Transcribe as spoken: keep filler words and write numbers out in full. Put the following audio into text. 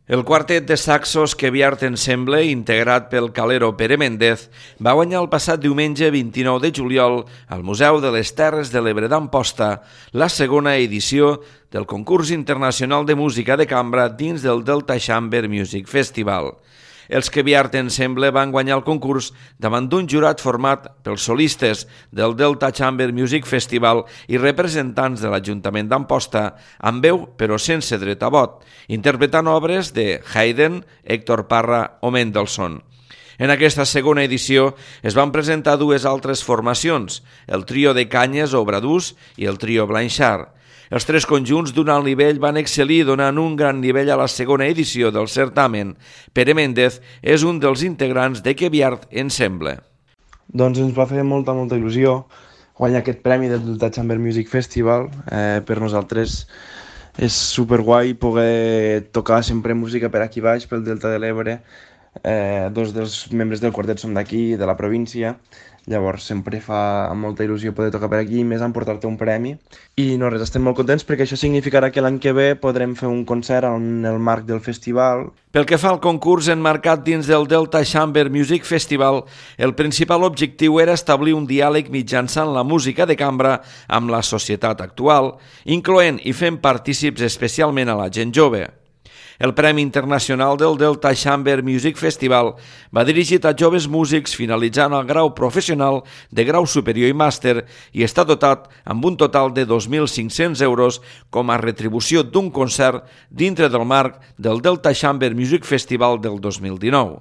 El quartet de saxos Queviart Ensemble, integrat pel calero Pere Méndez, va guanyar el passat diumenge vint-i-nou de juliol al Museu de les Terres de l'Ebre d'Amposta la segona edició del concurs internacional de música de cambra dins del Delta Chamber Music Festival. Els Queviart Ensemble van guanyar el concurs davant d'un jurat format pels solistes del Delta Chamber Music Festival i representants de l'Ajuntament d'Amposta, amb veu però sense dret a vot, interpretant obres de Haydn, Héctor Parra o Mendelssohn. En aquesta segona edició es van presentar dues altres formacions, el trio de Canyes o Bradús i el trio Blanchard. Els tres conjunts d'un alt nivell van excel·lir donant un gran nivell a la segona edició del certamen. Pere Méndez és un dels integrants de Queviart Ensemble. Doncs ens va fer molta, molta il·lusió guanyar aquest premi del Delta Chamber Music Festival. Eh, per nosaltres és superguai poder tocar sempre música per aquí baix, pel Delta de l'Ebre. Eh, dos dels membres del quartet som d'aquí, de la província. Llavors sempre fa molta il·lusió poder tocar per aquí, més emportar-te un premi. I no res, estem molt contents perquè això significarà que l'any que ve podrem fer un concert en el marc del festival. Pel que fa al concurs enmarcat dins del Delta Chamber Music Festival, el principal objectiu era establir un diàleg mitjançant la música de cambra amb la societat actual, incloent i fent partícips especialment a la gent jove. El Premi Internacional del Delta Chamber Music Festival va dirigit a joves músics finalitzant el grau professional de grau superior i màster i està dotat amb un total de dos mil cinc-cents euros com a retribució d'un concert dintre del marc del Delta Chamber Music Festival del dos mil dinou.